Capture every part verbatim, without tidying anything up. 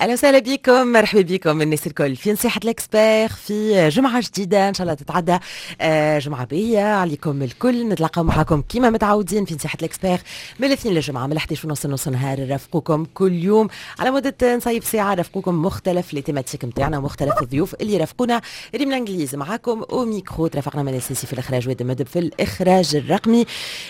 اهلا وسهلا بكم، مرحبا بكم الناس الكل في نصيحة l'expert في جمعة جديدة. ان شاء الله تتعدى آه، جمعة باهية عليكم الكل. نتلاقاو معكم كيما متعودين في نصيحة l'expert من الاثنين للجمعة من احداش ونص نص نهار، نرافقوكم كل يوم على مدة نصيف ساعة، رافقوكم مختلف les thématiques نتاعنا ومختلف الضيوف اللي رافقونا. ريم الانجليز معاكم au micro، ترافقنا من السيسي في الاخراج وادم في الاخراج الرقمي.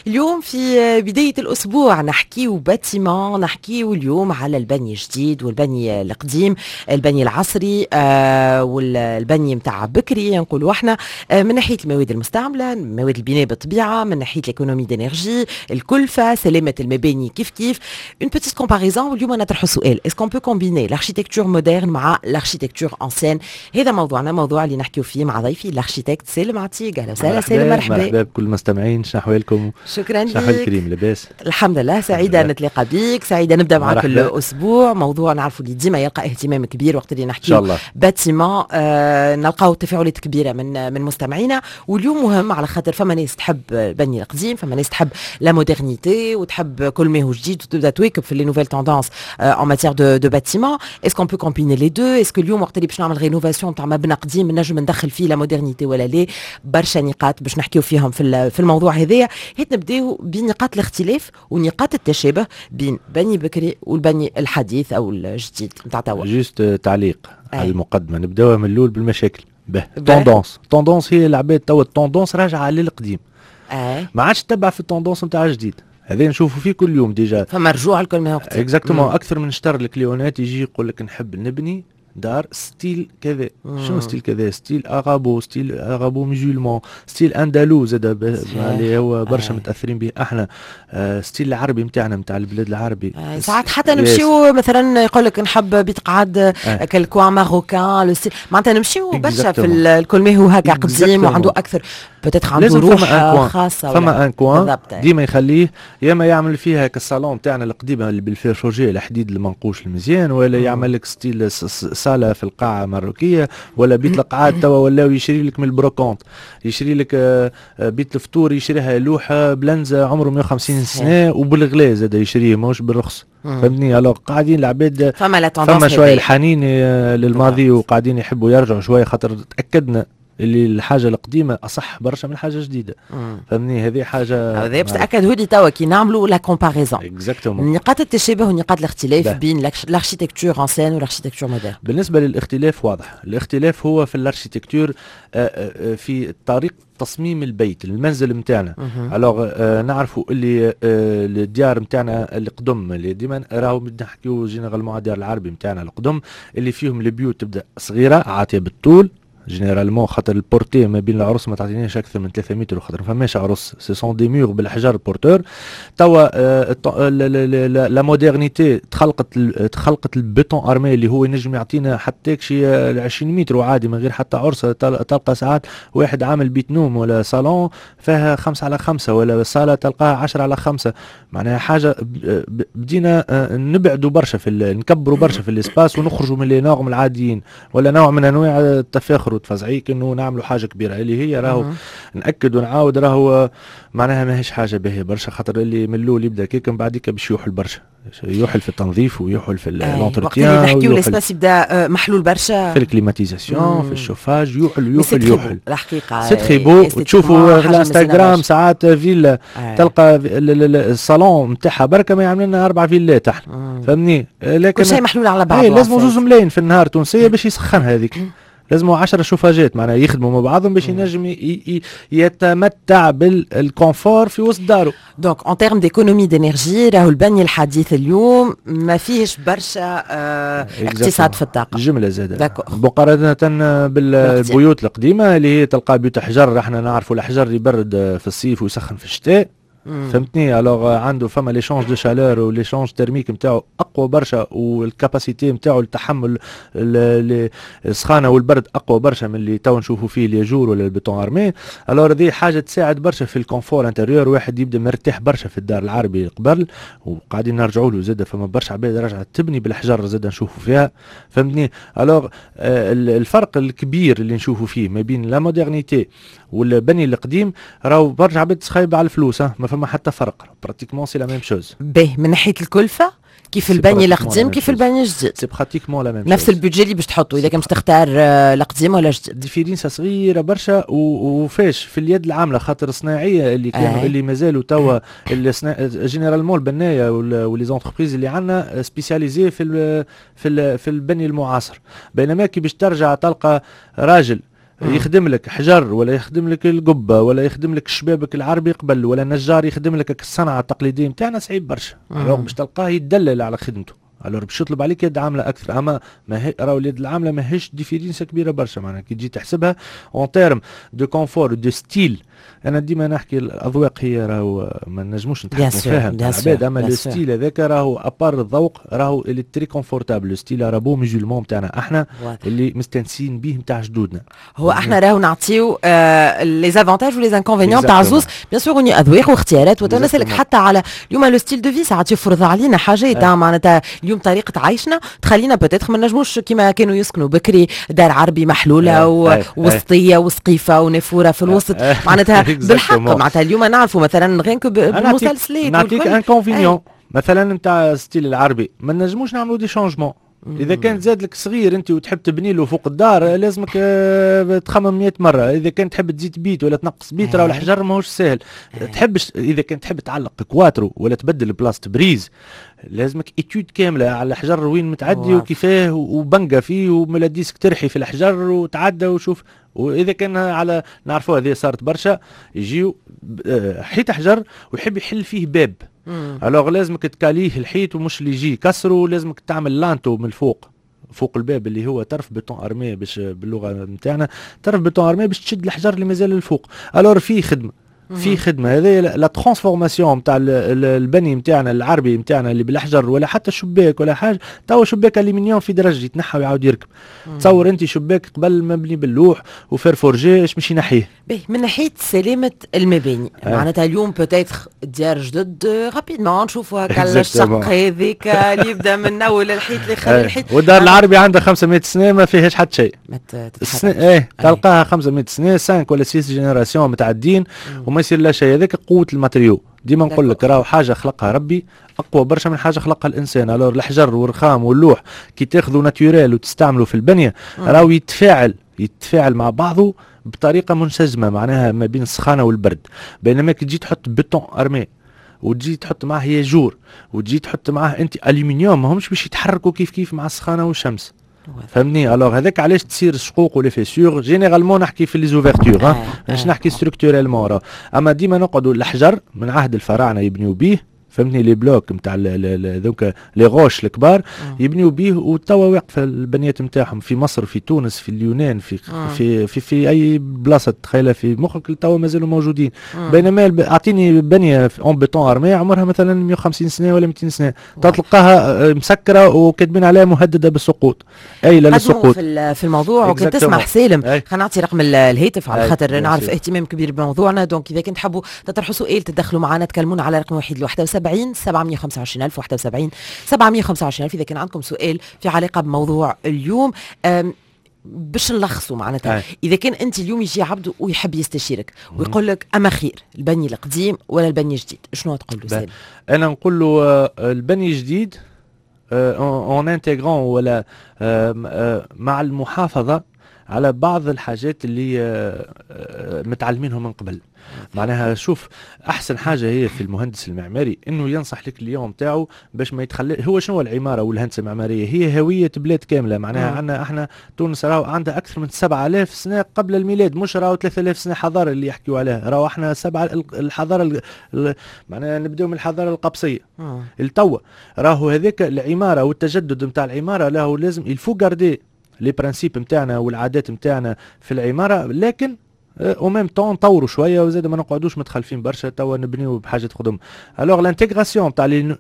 اليوم في بداية الاسبوع نحكيو bâtiment، نحكيو اليوم على البني الجديد والبني القديم، البني العصري آه والبني نتاع بكري نقولوا احنا، آه من ناحية المواد المستعمله، مواد البناء بالطبيعه، من ناحية l'économie d'énergie، الكلفه، سلامه المباني كيف كيف، une petite comparaison. واليوم نطرحوا سؤال: est-ce qu'on peut combiner l'architecture moderne مع l'architecture ancienne؟ هذا موضوعنا، موضوع اللي نحكيو فيه مع ضيفي l'architecte سالم عتيق. اهلا وسهلا سالم، مرحبا. مرحبا بكل المستمعين، شنو احوالكم؟ شكرا لك. كريم، لاباس؟ الحمد لله، سعيدة نتلاقى بيك، سعيدة نبدا معك الاسبوع، موضوع نعرفوا اللي ديما يلقى اهتمام كبير وقت اللي نحكي bâtiment، آه نلقاو تفاعلات كبيرة من من مستمعينا. واليوم مهم على خاطر فما ناس تحب البني القديم، فما ناس تحب la modernité وتحب كل ما هو جديد وتبدا تواكب في les nouvelles tendances en matière de de bâtiment. est-ce qu'on peut combiner les deux؟ est-ce que اليوم وقت اللي باش نعمل rénovation تاع مبنى قديم نجم ندخل فيه la modernité ولا لا؟ برشا نقاط باش نحكيو فيهم في في الموضوع هذايا. هات نبداو بنقاط الاختلاف ونقاط التشابه بين بني بكري والبني الحديث او الجديد نتاع توا. juste تعليق على المقدمه، نبداوها من الاول بالمشاكل. به tendance tendance هي العباد توا ال tendance راجعه للقديم، أي. ما عادش تتبع في ال tendance نتاع الجديد. هذا نشوفوا فيه كل يوم déjà. فما رجوع لكل ما هو exactement. اكثر من شطر ال client ات يجي يقول لك نحب نبني دار style كذا. شنو style كذا؟ style arabo، style arabo-musulman، style andalou زاد اللي هو برشا متاثرين به احنا، آه style العربي نتاعنا، نتاع البلاد العربي. آه ساعات حتى نمشيو مثلا يقول لك نحب بيت قعد آه. كال coin marocain، معناتها نمشيو برشا في الكل ما هو هكا قديم وعنده اكثر peut-être عنده روح خاصه. فما un coin ديما يخليه، يا اما يعمل فيها كالصالون تاعنا القديمة اللي بال fer forgé، الحديد المنقوش المزيان، ولا يعمل لك style صاله في القاعة مروكيه، ولا بيت القعاد. توا ولاو يشري لك من ال brocante، يشري لك آه، آه، بيت الفطور يشريها لوحة بلنزه عمره مية وخمسين سنه، وبالغلاء زاد يشريه ماهوش بالرخص، فهمتني؟ alors قاعدين العباد فما la فما شوية الحنين آه، للماضي وقاعدين يحبوا يرجعوا شويه، خاطر تاكدنا اللي الحاجة القديمة اصح برشا من حاجة جديده، فهمني؟ هذه حاجه. هذا باش تاكدوا لي توا كي نعملوا la comparaison exactement نقاط التشابه ونقاط الاختلاف بين l'architecture ancienne و l'architecture moderne. بالنسبة للاختلاف، واضح الاختلاف هو في l'architecture، آه، آه، في طريقه تصميم البيت، المنزل نتاعنا. alors نعرفوا اللي آه الديار نتاعنا القدم اللي ديما راهو نحكيو généralement الديار العربي نتاعنا القدم اللي فيهم البيوت تبدا صغيرة عاطيه بالطول généralement، خاطر ال portée ما بين العرس ما تعطينيش اكثر من ثلاثة متر، خاطر ما فماش عرس، ce sont des murs بالحجر porteurs. توا la modernité تخلقت تخلقت ال béton armé اللي هو ينجم يعطينا حتى شي عشرين متر وعادي من غير حتى عرسه. تلقى ساعات واحد عامل بيت نوم ولا صالون فيها خمسة على خمسة، ولا صالة تلقاها عشرة على خمسة. معناها حاجة بدينا آه، نبعدوا برشا في، نكبروا برشا في l'espace ونخرجوا من les normes العاديين، ولا نوع من انواع التفاخر والتفزعيك انه نعملوا حاجة كبيره، اللي هي راهو ناكد ونعاود راهو معناها ماهيش حاجة باهيه برشا، خاطر اللي من الاول يبدا كيك من بعديك باش يوحل برشا، يوحل في التنظيف ويوحل في l'entretien. وقت اللي نحكيو l'espace يبدا آه، محلول برشا. في ال climatisation، في الشوفاج، يوحل يوحل يوحل. الحقيقة c'est très beau، تشوفوا في الانستغرام ساعات فيلا تلقى الصالون نتاعها بركة ما يعمل لنا اربع فيلات احنا، فهمني؟ لكن كل شيء محلول على بعضه. لازم زوز ملايين في النهار تونسية باش يسخنها هذيك، لازم عشرة شوفاجات معناها يخدموا مع بعضهم باش ينجم يتمتع بال confort في وسط داره. donc en termes d'économie d'énergie راهو البني الحديث اليوم ما فيهش برشا اه اقتصاد في الطاقه. جملة زاده مقارنة بالبيوت القديمة اللي هي تلقى بيوت حجر. احنا نعرفوا الحجر يبرد في الصيف ويسخن في الشتاء، فهمتني؟ alors عنده فما l'échange de chaleur و l'échange thermique نتاعو اقوى برشا، وال capacité نتاعو لتحمل السخانه والبرد اقوى برشا من اللي تو نشوفوا فيه الياجور ولا ال béton armé. alors هذه حاجة تساعد برشا في ال confort intérieur، واحد يبدا مرتاح برشا في الدار العربي قبل، وقاعدين نرجعوا له زاد. فما برشا عباد رجعت تبني بالحجر زاد نشوفوا فيها، فهمتني؟ alors الفرق الكبير اللي نشوفوا فيه ما بين la modernité والبني القديم، راهو برشا عباد تخايب على الفلوس، ما فما حتى فرق، pratiquement c'est la même chose. باهي، من ناحية الكلفه؟ كيف البني القديم كيف البني الجديد. c'est pratiquement la même. نفس ال budget اللي باش تحطه اذا كان باش تختار آه، القديم ولا الجديد. différence صغيرة برشا، وفاش في اليد العامله، خاطر الصناعية اللي كانوا آه. اللي مازالوا توا généralement البناية و les entreprises اللي عندنا spécialisées في ال في ال في البني المعاصر، بينما كي باش ترجع تلقى راجل يخدم لك حجر ولا يخدم لك القبة ولا يخدم لك الشبابك العربي قبل ولا نجار يخدم لك الصنعة التقليدية نتاعنا، صعيب برشا. alors باش تلقاه يدلل على خدمته، alors باش يطلب عليك يد عامله اكثر. اما ما هي راهو اليد العاملة ماهيش différence كبيرة برشا، معناها كي تجي تحسبها en termes de confort، de style. انا ديما نحكي الاذواق هي راهو ما نجموش نتحكموا فيها العباد، اما le style هذاك راهو à part الذوق راهو اللي très confortable، le style arabo-musulman نتاعنا احنا اللي مستانسين به نتاع جدودنا. هو احنا راهو نعطيو les avantages و les inconvénients تاع زوز، bien sûr اذواق واختيارات. وتنسالك حتى على اليوم le style de vie ساعات يفرض علينا حاجات، معناتها اليوم طريقه عيشنا تخلينا peut-être ما نجموش كيما كانوا يسكنوا بكري، دار عربي محلولة ووسطيه وسقيفة ونافوره في الوسط، معناتها بالحق معناتها اليوم نعرفوا مثلا غير بالمسلسلات. نعطيك inconvénient مثلا نتاع style العربي، ما نجموش نعملوا des changements. اذا كان زاد لك صغير انت وتحب تبني له فوق الدار، لازمك آه، تخمم مية مره. اذا كان تحب تزيد بيت ولا تنقص بيت، راهو الحجر ماهوش ساهل. تحبش اذا كان تحب تعلق كواترو ولا تبدل بلاصة prise، لازمك étude كاملة على الحجر وين متعدي وكيفاه وبنقه فيه وملا disque ترحي في الحجر وتعدى وشوف. واذا كان على نعرفوا هذه صارت برشا، يجيو آه، حيط حجر ويحب يحل فيه باب، alors لازمك تكاليه الحيط ومش اللي يجي يكسره، لازمك تعمل linteau من الفوق فوق الباب اللي هو طرف béton armé، باش باللغة نتاعنا طرف béton armé باش تشد الحجر اللي مازال الفوق. alors فيه خدمه في خدمة هذه la transformation نتاع البني نتاعنا العربي نتاعنا اللي بالحجر ولا حتى شباك ولا حاجه. توا شباك الومنيوم في درجه يتنحى ويعاود يركب. تصور انت شباك قبل مبني باللوح و fer forgé، ايش مش ينحيه؟ باهي، من ناحية سلامه المباني آه. معناتها اليوم peut-être ديار جدد rapidement نشوفوا هكا الشق هذيك اللي يبدا من اول الحيط لاخر الحيط. والدار العربي عندها خمسمية سنة ما فيهاش حتى شيء. ما ايه، تلقاها خمسمية سنه، خمسة ولا ستة générations متعدين وما يصير لا شيء. هذاك قوة ال matériau. ديما نقول لك راهو حاجة خلقها ربي اقوى برشا من حاجة خلقها الانسان. alors الحجر والرخام واللوح كي تاخذوا naturel وتستعملوا في البنية راهو يتفاعل يتفاعل مع بعضه بطريقة منسجمه، معناها ما بين السخانه والبرد. بينما كي تجي تحط béton armé وتجي تحط معاه ياجور وتجي تحط معاه انت الومنيوم، ما همش باش يتحركوا كيف كيف مع السخانه والشمس، فهمتني؟ alors هذاك علاش تصير شقوق و les fissures généralement. نحكي في les ouvertures، مش نحكي structurellement. اما ديما نقعدوا الحجر من عهد الفراعنة يبنيو بيه، فهمتني؟ les blocs نتاع ذوك les roches الكبار يبنيو بيه، وتوا واقفة البنيات نتاعهم في مصر، في تونس، في اليونان، في في في, في اي بلاصة تخيلها في مخك، توا مازالوا موجودين. بينما اعطيني بنيه en béton armé عمرها مثلا مية وخمسين سنة ولا ميتين سنه، تلقاها آه، مسكره وكاتبين عليها مهددة بالسقوط، اي لا للسقوط. في في الموضوع وكنت تسمح سالم، خلينا نعطي رقم الهاتف على خاطر نعرف اهتمام كبير بموضوعنا. donc اذا كنت تحبوا تطرحوا سؤال، تدخلوا معنا، تكلمونا على رقم واحد واحد وسبعين سبعمية وخمسة وعشرين ألف، واحد وسبعين سبعمية وخمسة وعشرين ألف، إذا كان عندكم سؤال في علاقة بموضوع اليوم. باش نلخصوا معناتها، اذا كان انت اليوم يجي عبد ويحب يستشيرك ويقول لك اما خير البني القديم ولا البني الجديد، شنو تقول له سالم؟ انا نقول له آه، البني الجديد en intégrant ولا آه، آه، مع المحافظة على بعض الحاجات اللي آه، آه، متعلمينهم من قبل. معناها شوف، احسن حاجة هي في المهندس المعماري انه ينصح ال client تاعو باش ما يتخلى. هو شنو العمارة والهندسة المعماريه؟ هي هوية بلاد كامله. معناها عندنا احنا تونس راهو عندها اكثر من سبعة آلاف سنة قبل الميلاد، مش راهو ثلاثة آلاف سنة حضارة اللي يحكيوا عليها. راهو احنا سبعة الحضارة، معناها نبداو من الحضارة القبصيه التوا. راهو هذاك العمارة والتجدد نتاع العمارة له لازم il faut garder les principes نتاعنا والعادات نتاعنا في العماره، لكن au même temps نطوروا شوية وزاد ما نقعدوش متخلفين برشا. توا نبنيو بحاجة قدم. alors l'intégration تاع les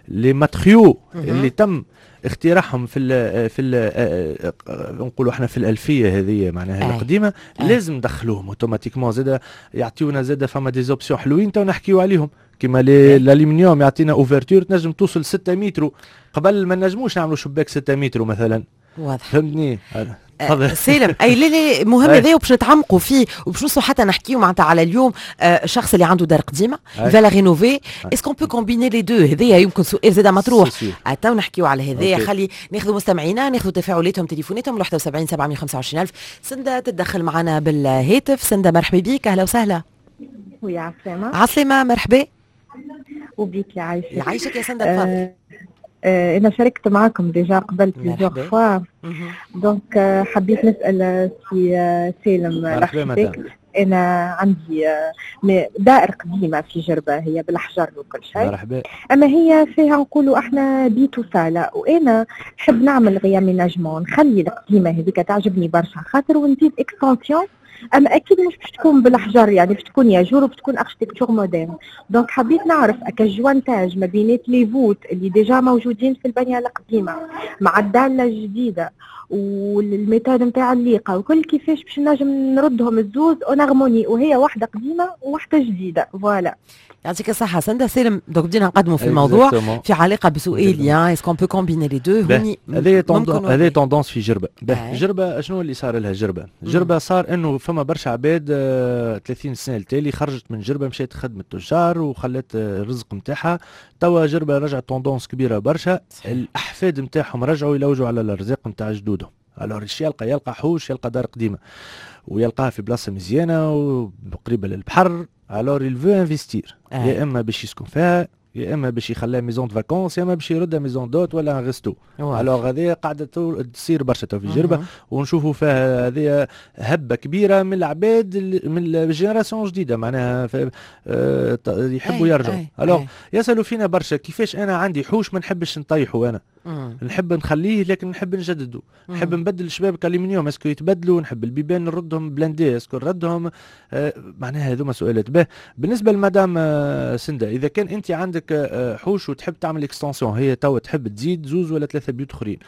les matériaux اللي تم اختراعهم في ال في ال نقولوا احنا في الالفية هذه معناها القديمه، لازم ندخلوهم automatiquement. زاد يعطيونا زاد فما des options حلوين تو نحكيو عليهم، كيما الالومنيوم يعطينا ouverture تنجم توصل ستة متر، قبل ما نجموش نعملوا شباك ستة متر مثلا. واضح. فهمتني؟ آه سالم، اي لا لا، مهم هذا وباش نتعمقوا فيه وباش نوصلوا حتى نحكيو معناتها على اليوم الشخص اللي عنده دار قديمة va la rénover، est-ce qu'on peut combiner les deux؟ هذايا يمكن سؤال زاد مطروح، تو نحكيو على هذايا. خلي ناخذوا مستمعينا، ناخذوا تفاعلاتهم، تليفوناتهم واحد وسبعين سبعمية وخمسة وعشرين الف. سندة تتدخل معنا بالهاتف. سندة، مرحبا بك، اهلا وسهلا. ويا عسلامة. عسلامة، مرحبا. وبيك، يعيشك. يعيشك يا سندة، تفضل. آه آه انا شاركت معكم déjà قبل plusieurs fois، donc حبيت نسال سي سالم l'architecte. انا عندي دائر قديمة في جربه، هي بالحجر وكل شيء. مرحبا. اما هي فيها نقولوا احنا بيت وصاله، وانا نحب نعمل réaménagement، نخلي القديمة هذيك تعجبني برشا خاطر، ونزيد extension، اما اكيد مش باش تكون بالحجر، يعني باش تكون ياجور وبتكون architecture moderne. donc حبيت نعرف اكا jointage ما بينات les voûtes اللي déjà موجودين في البنية القديمة مع ال dalle الجديدة وال méthode نتاع الليقه وكل، كيفاش باش نجم نردهم الزوز en harmonie وهي واحدة قديمة وواحدة جديده؟ voilà. يعطيك الصحة سندة. سالم، donc بدينا نقدموا في الموضوع في علاقة بسؤالي est-ce qu'on peut combiner les deux. هوني هذه هذه tendance في جربة. جربة شنو اللي صار لها؟ جربة جربة صار انه فما برشا عباد ثلاثين سنة التالي خرجت من جربة، مشات خدمت تجار وخلت الرزق نتاعها. توا جربة رجعت tendance كبيرة برشا، الأحفاد نتاعهم رجعوا يلوجوا على الأرزاق نتاع جدودهم. alors ايش يلقى؟ يلقى حوش، يلقى دار قديمة ويلقاها في بلاصة مزيانه وقريبه للبحر. alors il veut investir، يا اما باش يسكن فيها، يا اما باش يخليها maison de vacances، يا اما باش يردها maison d'hôtes ولا un resto. alors هذه قاعدة تصير برشا في جربه، ونشوفوا فيها هذه هبه كبيرة من العباد من ال génération جديده، معناها آه، يحبوا يرجعوا. alors يسالوا فينا برشا كيفاش انا عندي حوش ما نحبش نطيحه، انا مم. نحب نخليه لكن نحب نجدده، نحب نبدل الشبابك الومنيوم، est-ce que يتبدلوا؟ نحب البيبان نردهم blindés، est-ce que نردهم؟ آه معناها هذوما سؤالات. به، بالنسبة لمدام آه سنده، اذا كان انت عندك آه حوش وتحب تعمل extension، هي توا تحب تزيد زوز ولا ثلاثة بيوت اخرين،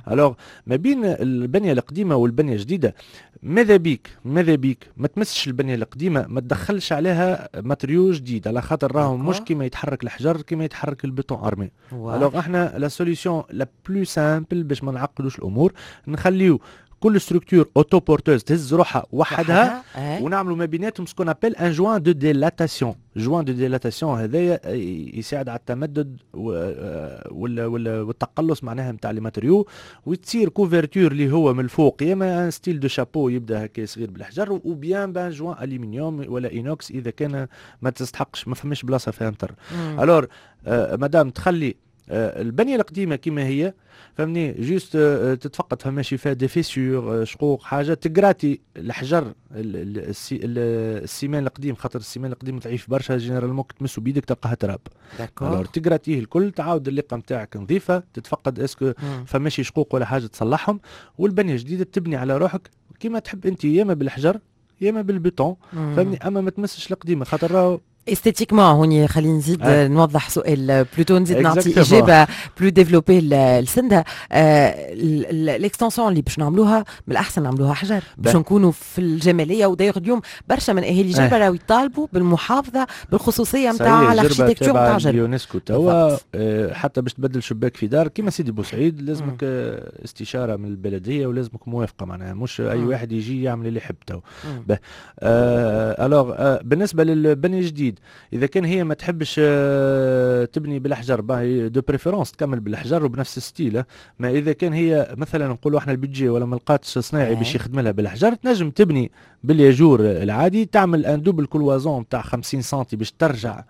alors ما بين البنية القديمة والبنية الجديده، ماذا بيك ماذا بيك ما تمسش البنية القديمه، ما تدخلش عليها matériau جديد، على خاطر راهو مش كيما يتحرك الحجر كيما يتحرك ال béton armé. alors احنا la solution la plus simple باش ما نعقدوش الامور، نخليو كل structure autoporteuse، تهز روحها وحدها، ونعملوا ما بيناتهم ce qu'on appelle un joint de dilatation. joint de dilatation هذايا يساعد على التمدد والتقلص معناها نتاع les matériaux، وتصير couverture اللي هو من الفوق، يا اما un style de chapeau يبدا هكا صغير بالحجر، ou bien ب un joint الومنيوم ولا inox اذا كان ما تستحقش، ما فماش بلاصة فيها مطر. alors مادام تخلي آه، البنية القديمة كما هي، فهمني، juste آه، تتفقد فماشي فيها des fissures، آه، شقوق، حاجه، تقراتي الحجر، ال ciment القديم، خاطر ال ciment القديم ضعيف برشا، généralement تمسو بيدك تلقاها تراب. alors تقراتيه الكل، تعاود اللقه نتاعك نظيفه، تتفقد est-ce que فماشي شقوق ولا حاجه، تصلحهم، والبنية الجديدة تبني على روحك كيما تحب انت، يا اما بالحجر يا اما بالبيتون، فهمني، اما ما تمسش القديمة خاطر راهو esthétiquement. هوني خلينا نزيد آه. نوضح سؤال، plutôt نزيد نعطي اجابه plus développée لسندها. l'extension اللي باش نعملوها من الاحسن نعملوها حجر باش نكونوا في الجماليه. و d'ailleurs اليوم برشا من اهالي جربه راهو يطالبوا بالمحافظة بالخصوصيه نتاع l'architecture نتاع جربه. اليونسكو توا آه، حتى باش تبدل شباك في دار كيما سيدي بوسعيد لازمك استشاره من البلدية ولازمك موافقه، معناها مش اي واحد يجي يعمل اللي يحب تو. alors بالنسبة للبني الجديد، اذا كان هي ما تحبش آه، تبني بالحجر، باهي، de préférence تكمل بالحجر وبنفس ال style. ما اذا كان هي مثلا نقولوا احنا ال budget ولا ما لقاتش صناعي باش يخدم لها بالحجر، تنجم تبني بالياجور العادي، تعمل un double cloison تاع خمسين سنتي باش ترجع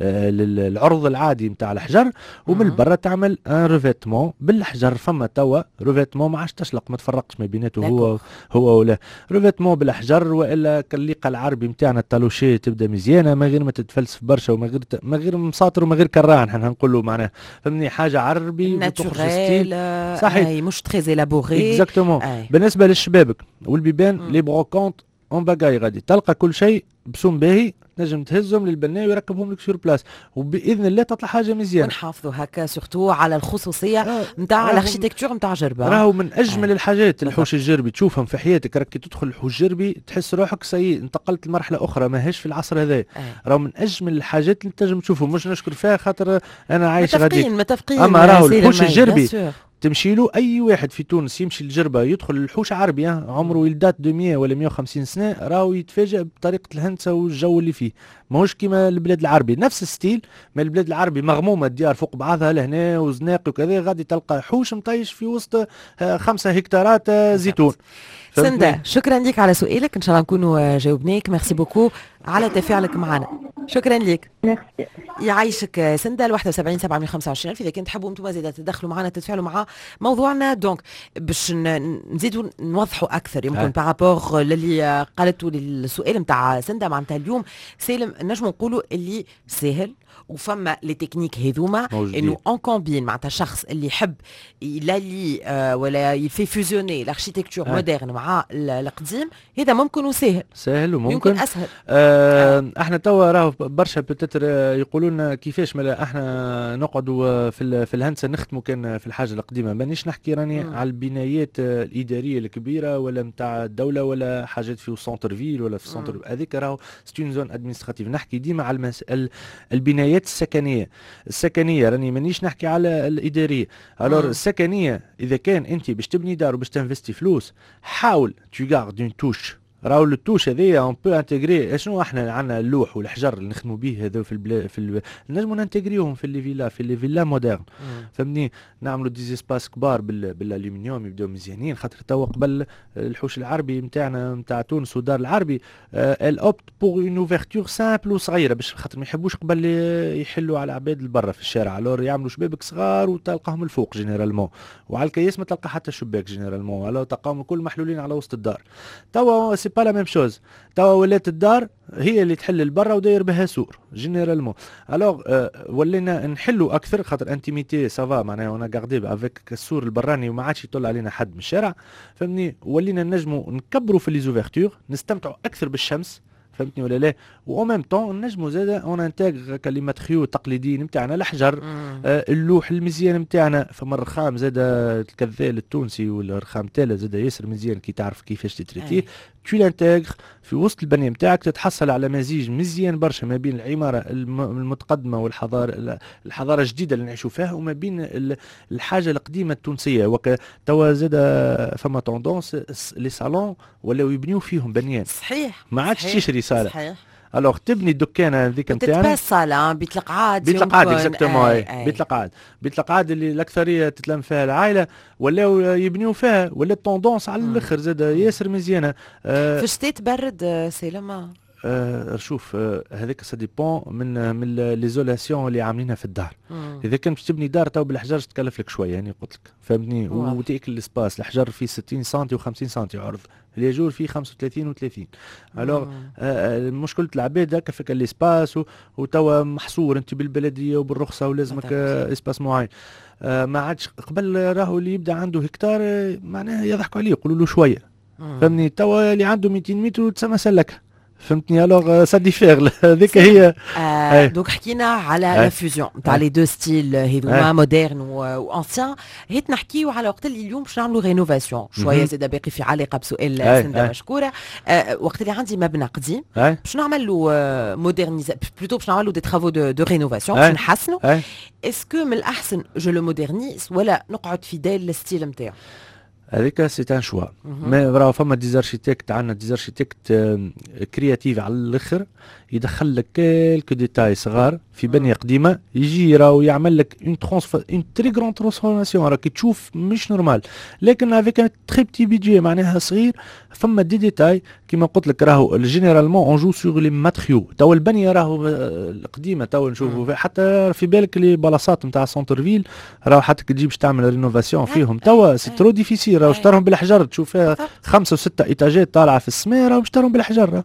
آه، للعرض العادي نتاع الحجر، ومن برا تعمل un revêtement بالحجر. فما توا revêtement ما عادش تشلق، ما تفرقش ما بيناته هو هو ولا revêtement بالحجر والا كالليقه العربي نتاعنا ال talochée، تبدا مزيانه ما غير ما تتفلسف برشا وما غير ما غير مساطر وما غير كراع، نحن نقولوا معناها، فهمني، حاجة عربي. naturel، صحيح، مش très élaboré. exactement. بالنسبة للشبابك والبيبان، les brocantes en pagaille، غادي تلقى كل شيء بسوم باهي، تنجم تهزهم للبناء ويركبهم لك sur place، وباذن الله تطلع حاجة مزيانه. ونحافظوا هكا surtout على الخصوصية نتاع l'architecture نتاع جربه. راهو من اجمل آه. الحاجات الحوش الجربي تشوفهم في حياتك، راك تدخل الحوش الجربي تحس روحك ça y est انتقلت لمرحلة اخرى، ماهيش في العصر هذا. آه. راهو من اجمل الحاجات اللي تنجم تشوفهم، مش نشكر فيها خاطر انا عايش غادي. متفقين متفقين. اما راهو الحوش الجربي تمشي له، اي واحد في تونس يمشي لجربه يدخل الحوش عربي عمره il date de مية ولا مية وخمسين سنه، راهو يتفاجئ بطريقة الهندسة والجو اللي فيه، ماهوش كيما البلاد العربي. نفس ال style، ما البلاد العربي مغمومه، الديار فوق بعضها لهنا وزناق وكذا، غادي تلقى حوش مطيش في وسط آه، خمسة هكتارات آه، زيتون. سندا، شكرا لك على سؤالك، ان شاء الله نكونوا جاوبناك. merci beaucoup على تفاعلك معنا، شكرا لك. ميرسي. يعيشك سندا. واحد وسبعين سبعمية وخمسة وعشرين اذا كنت تحبوا انتم زيادة تدخلوا معنا، تتفاعلوا مع موضوعنا. donc باش نزيدوا نوضحوا اكثر يمكن par rapport للي قالته، للسؤال نتاع سندا، معناتها اليوم سالم نجم نقولوا اللي سهل وفما les techniques هذوما انه on combine، معناتها الشخص اللي يحب il allie آه ولا il fait fusionner l'architecture moderne مع القديم، هذا ممكن وسهل. سهل وممكن. يمكن اسهل. آه آه. احنا توا راهو برشا peut-être يقولوا لنا كيفاش مالا احنا نقعدوا في في الهندسة نخدموا كان في الحاجة القديمه. مانيش نحكي راني على البنايات الادارية الكبيرة ولا نتاع الدولة ولا حاجات في centre-ville ولا في centre، هذيك راهو c'est une zone administrative. نحكي ديما على المس... البنايات السكنيه، السكنية راني مانيش نحكي على الاداريه. alors السكنية اذا كان انت باش تبني دار وباش تنفستي فلوس، حاول tu gardes une touche. راهو ال touche هذيا on peut intégrer. شنو احنا عندنا؟ اللوح والحجر اللي نخدموا به هذا في البلا في ال... نجموا نانتيغريوهم في les villas، في les villas modernes، فهمتني؟ نعملوا des espaces كبار بال... بالالومنيوم يبداو مزيانين، خاطر توا قبل الحوش العربي نتاعنا نتاع تونس ودار العربي elle opte pour une ouverture simple وصغيره، باش خاطر ما يحبوش قبل يحلوا على العباد البرا في الشارع. alors يعملوا شبابك صغار وتلقاهم الفوق généralement، وعلى الكياس ما تلقى حتى شباك généralement، alors تلقاهم الكل محلولين على وسط الدار. توا c'est pas la même chose، توا ولات الدار هي اللي تحل البرا وداير بها سور généralement. alors ولينا نحلوا اكثر خاطر intimité ça va، معناها on a gardé avec السور البراني وما عادش يطل علينا حد من الشارع، فهمتني؟ ولينا نجموا نكبروا في les ouvertures، نستمتعوا اكثر بالشمس، فهمتني ولا لا؟ و même temps نجموا زاده on intègre les matériaux التقليديين نتاعنا، الحجر، آه اللوح المزيان نتاعنا. فما الرخام زاده الكذال التونسي والرخام تالا زاده ياسر مزيان كي تعرف كيفاش تتريتيه، tu l'intègres في وسط البنية نتاعك، تتحصل على مزيج مزيان برشا ما بين العمارة المتقدمة والحضارة الحضارة الجديدة اللي نعيشوا فيها وما بين الحاجة القديمة التونسيه. وك توا زاد فما tendance les salons ولاو يبنيو فيهم بنيان. صحيح ما عادش تشري صاله. صحيح. alors تبني الدكانه هذيك نتاعنا تتباس صاله، بيت القعاد. بيت القعاد exactement، بيت القعاد، بيت القعاد اللي الاكثرية تتلم فيها العائله، ولاو يبنيو فيها، ولات tendance على الاخر زاد ياسر مزيانه. آه في الشتاء تبرد سالمه؟ آه شوف، آه هذاك ça dépend من من l'isolation اللي عاملينها في الدار. مم. اذا كان باش تبني دار تو بالحجر تكلف لك شويه، يعني قلت لك، فهمتني؟ وتاكل l'espace. الحجر فيه ستين سنتي وخمسين سنتي عرض، الياجور فيه خمسة وثلاثين وثلاثين. alors آه مشكلة العباد هكا في l'espace، وتوا محصور انت بالبلديه وبالرخصه ولازمك آه espace معين. آه ما عادش قبل راهو اللي يبدا عنده هكتار آه، معناها يضحكوا عليه، يقولوا له شويه، فهمني؟ توا اللي عنده ميتين متر تسمى سلكها، فهمتني؟ alors ça diffère، هذيك هي. آه donc حكينا على la fusion تاع les deux styles هذوما، moderne و ancien. هيت نحكيو على وقت اللي اليوم باش نعملوا rénovation شويه، زاد باقي في علاقة بسؤال سنده مشكوره. آه وقت اللي عندي مبنى قديم باش نعمل له modernisation، plutôt باش نعمل له des travaux de, de rénovation باش نحسنوا، est-ce que من الاحسن je le modernise ولا نقعد fidèle لل style نتاعو؟ هذيك c'est un choix، mais راهو فما des architectes، عندنا des architectes créatifs على الاخر، يدخل لك quelques détails صغار في بنيه قديمه، يجي راهو يعمل لك une transf une très grande transformation، راك تشوف مش normal، لكن avec un très petit budget، معناها صغير. فما des détails كيما قلت لك، راهو généralement on joue sur les matériaux. تو البنية راهو القديمة تو نشوفوا حتى في بالك les بلاصات نتاع centre-ville، راهو حتى كي تجي باش تعمل rénovation فيهم توا c'est trop difficile. راهو شطرهم بالحجر، تشوف فيها خمسة وستة étages طالعه في السماء، راهو شطرهم بالحجر،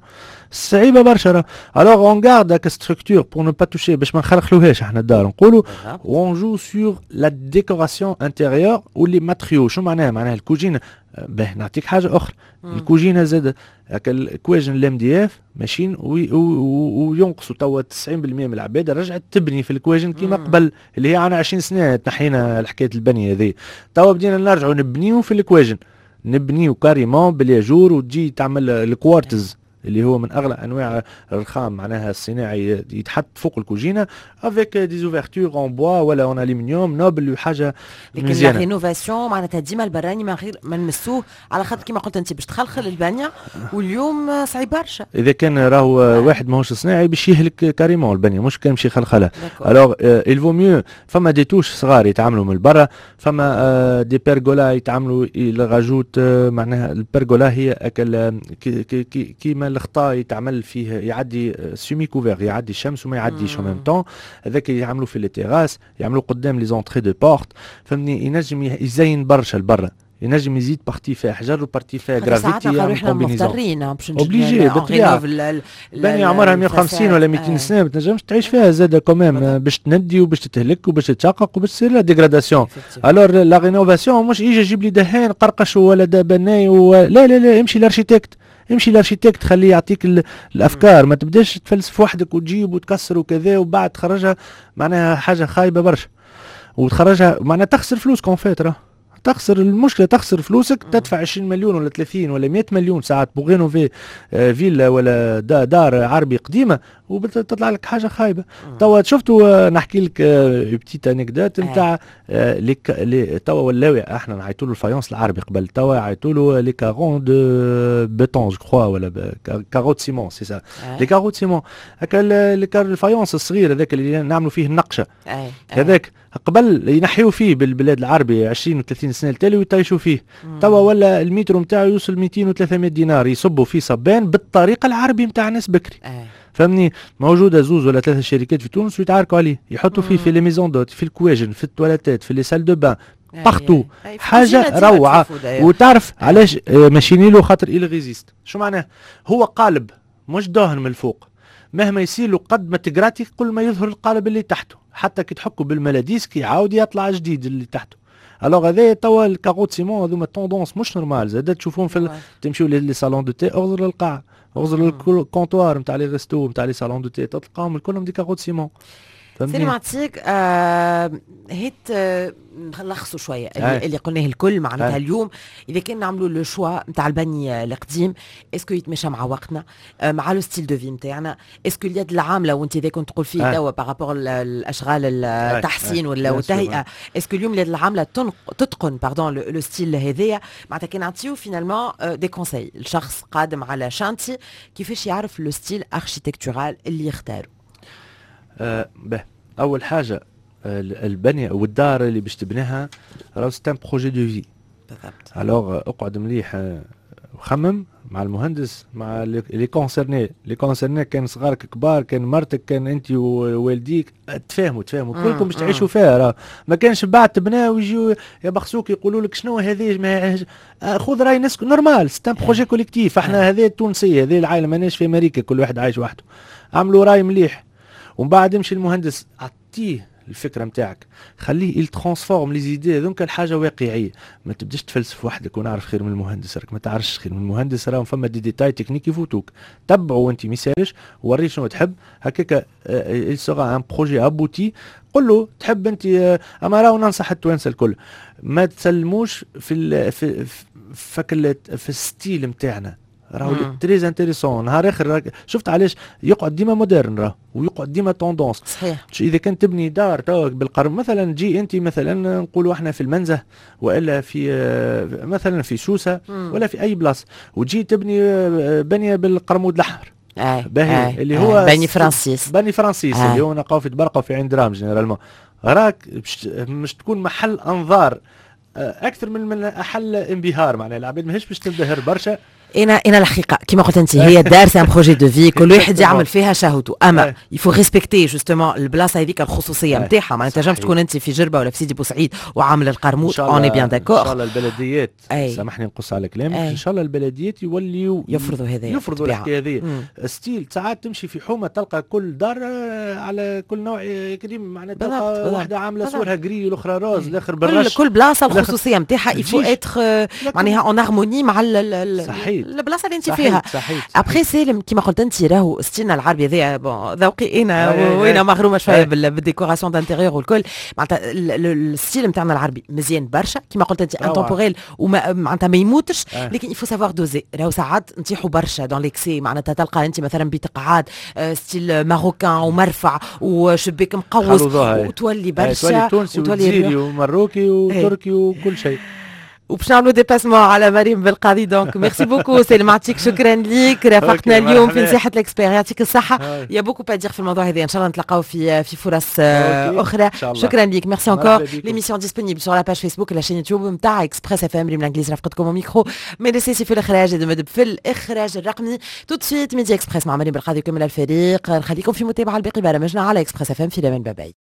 صعيبة برشا. alors on garde هاك structure pour ne pas toucher، باش ما نخلخلوهاش احنا الدار نقولوا، on joue sur la décoration intérieure و les matériaux. شو معناها؟ معناها الكوجينه، باه نعطيك حاجة اخرى، الكوجينه زاد الكواجن ال MDF ماشيين وينقصوا. توا تسعين بالمية من العباد رجعت تبني في الكواجن كيما قبل، اللي هي عنا عشرين سنة تنحينا الحكاية البنية هذه. توا بدينا نرجعوا نبنيو في الكواجن، نبنيو carrément بالياجور وتجي تعمل الكوارتز. اللي هو من اغلى انواع الرخام معناها الصناعي، يتحط فوق الكوجينه avec des ouvertures en bois ولا en aluminium noble وحاجه لكن la rénovation معناتها ديما البراني من غير ما نمسوه، على خاطر كيما قلت انت باش تخلخل البنية، واليوم صعيب برشا. اذا كان راهو واحد ماهوش صناعي باش يهلك carrément البنيه، مش كان باش يخلخلها. alors il vaut mieux فما des touches صغار يتعاملوا من برا، فما des pergolas يتعاملوا، ils rajoutent، معناها البرغولا هي اكل كيما الغطاء يتعمل فيه، يعدي semi-couvert، يعدي الشمس وما يعديش en même temps. هذاك يعملوا في les terrasses، يعملوا قدام les entrées de porte، فهمني؟ ينجم يزين برشا البرا، ينجم يزيد partie فيها حجر و partie فيها جرافيتي. يعمل combinaison. مضطرين باش obligé بالطبيعه. بني عمرها مية وخمسين ولا ميتين سنه، ما تنجمش تعيش فيها زاد quand même، باش تندي وباش تتهلك وباش تتشقق وباش تصير لها dégradation. alors la rénovation مش ايجا جيب لي دهان قرقش ولا بناي و... لا لا لا، امشي l'architecte، امشي l'architecte، خليه يعطيك الافكار. ما تبداش تفلسف وحدك وتجيب وتكسر وكذا وبعد تخرجها معناها حاجة خايبة برشا، وتخرجها معناها تخسر فلوس en fait. راه تخسر، المشكلة تخسر فلوسك، تدفع عشرين مليون ولا ثلاثين ولا مية مليون ساعات pour rénover آه، فيلا ولا دار عربي قديمة وتطلع لك حاجة خايبه. توا شفتوا، آه، نحكي لك petite anecdote نتاع les توا ولاو احنا نعيطوا له ال faïence العربي، قبل توا يعيطوا له les carreaux de béton je crois ولا carreaux de ciment، c'est ça، les carreaux de ciment. هكا ال faïence الصغير هذاك اللي نعملوا فيه النقشه، هذاك قبل ينحيوا فيه بالبلاد العربي عشرين و ثلاثين سنة التالي ويطيشوا فيه. توا ولا المتر نتاعو يوصل ميتين و ثلاثمية دينار، يصبوا فيه صبان بالطريقة العربي نتاع ناس بكري، فهمني؟ موجودة زوز ولا ثلاثة شركات في تونس ويتعاركوا عليه، يحطوا فيه في les maisons d'hôtes، في الكواجن، في التواليتات، في les salles de bain، partout. حاجة روعه. وتعرف علاش آه، ماشيين له؟ خاطر il résiste. شو معناه؟ هو قالب مش دهن من الفوق، مهما يصير له، قد ما تقراتي كل ما يظهر القالب اللي تحته، حتى كي تحكوا بال maladisque يعاود يطلع جديد اللي تحته. alors هذا توا ال carreaux de ciment هذوما tendance مش normale. زاد تشوفون في تمشيو les salons de thé، اغزر للقاع، اغزر لل comptoir نتاع les restos، نتاع les salons de thé، تلقاهم الكلهم des carreaux de ciment. سليم عطيك آه هيت آه نلخصوا شوية اللي, اللي قلناه الكل. معناتها اليوم اذا كان نعملوا le choix نتاع البني القديم، est-ce que يتماشى مع وقتنا، آه مع le style de vie نتاعنا؟ est-ce que اليد العامله، وانت اذا كنت تقول فيه توا par rapport الاشغال التحسين ولا التهيئه، est-ce que اليوم اليد العاملة تتقن pardon le style هذايا؟ معناتها كان نعطيو finalement des conseils الشخص قادم على chantier، كيفاش يعرف le style architectural اللي يختاره؟ أه به، اول حاجة البنية والدار اللي باش تبنيها راهو c'est un projet de vie. بالضبط. alors اقعد مليح وخمم مع المهندس، مع les concernés les concernés كان صغارك كبار، كان مرتك، كان انت ووالديك، تفاهموا تفاهموا كلكم باش تعيشوا فيها. راه ما كانش بعد تبناه ويجيو يبخسوك، يقولوا لك شنو هذه؟ ما خذ راي ناس، normal، c'est un projet collectif. احنا هذه التونسيه، هذه العائله، ماناش في امريكا كل واحد عايش وحده. عملوا راي مليح ومن بعد يمشي المهندس، اعطيه الفكرة نتاعك، خليه il transforme les idées هذوك الحاجة واقعيه. ما تبداش تفلسف وحدك ونعرف خير من المهندس، راك ما تعرفش خير من المهندس، راه فما des détails techniques يفوتوك. تبعوا انت ما يسالش، وريه شنو تحب، هكاك il sera un projet abouti. قل له تحب انت آه، اما راهو ننصح التوانسة الكل ما تسلموش في ال في في, في ال style نتاعنا، راهو très intéressant. نهار اخر شفت علاش يقعد ديما moderne راه ويقعد ديما tendance. صحيح. اذا كان تبني دار توا بالقرن مثلا، تجي انت مثلا نقولوا احنا في المنزه والا في آه، مثلا في سوسة ولا في اي بلاصة، وتجي تبني آه، بنيه بالقرمود الاحمر. آه باهي آه اللي هو بني فرانسيس. بني فرانسيس آه. اللي هو نلقاو في طبرقه وفي عين دراهم généralement، راك مش تكون محل انظار آه، اكثر من من محل انبهار، معناها العباد ماهيش باش تنبهر برشا. انا انا الحقيقة كما قلت انت، هي الدار c'est un projet de vie، كل واحد يعمل فيها شهوته، اما il faut respecter justement البلاصة هذيك، الخصوصية نتاعها. ما تنجمش تكون انت في جربه ولا في سيدي بوسعيد وعامل القرموط، on est bien d'accord. ان شاء الله البلديات، سامحني نقص على كلامك، ان شاء الله البلديات يوليوا يفرضوا هذا. يفرضوا الحكاية هذه style. ساعات تمشي في حومه تلقى كل دار آه، على كل نوع كريم، معناتها تلقى واحدة عامله سورها gris، الاخرى rose، الاخر بالرش. كل, كل بلاصة الخصوصية نتاعها، il faut être معناها en harmonie مع صحيح. البلاصة اللي انت فيها. après سالم، كيما قلت انت، راهو style نا العربي هذايا، bon ذوقي انا وانا مغرومه شوية بال décoration d'intérieur والكل، معناتها ال style نتاعنا العربي مزيان برشا، كيما قلت انت intemporel وما معناتها ما يموتش، لكن il faut savoir doser. راهو ساعات نطيحوا برشا dans l'excès، معناتها تلقى انت مثلا بيت قعاد style marocain ومرفع وشباك مقوس وتولي برشا. تونسي وتولي ومروكي وتركي وكل شيء. وباش نعملوا dépassement على مريم بالقاضي. donc merci beaucoup سالم، يعطيك شكرا ليك، رافقتنا اليوم في نصيحة l'expert، يعطيك الصحة. il y a beaucoup à dire في الموضوع هذا، ان شاء الله نتلاقاو في في فرص اخرى. شكرا ليك، merci encore. l'émission disponible sur la page Facebook، la chaîne YouTube نتاع Express FM. ريم الانجليز رافقتكم ميكرو، ميرسي في الاخراج، مدب في الاخراج الرقمي. tout de suite Midi Express مع مريم بالقاضي وكمل الفريق. نخليكم في متابعه الباقي برامجنا على Express FM. في الامان، bye bye.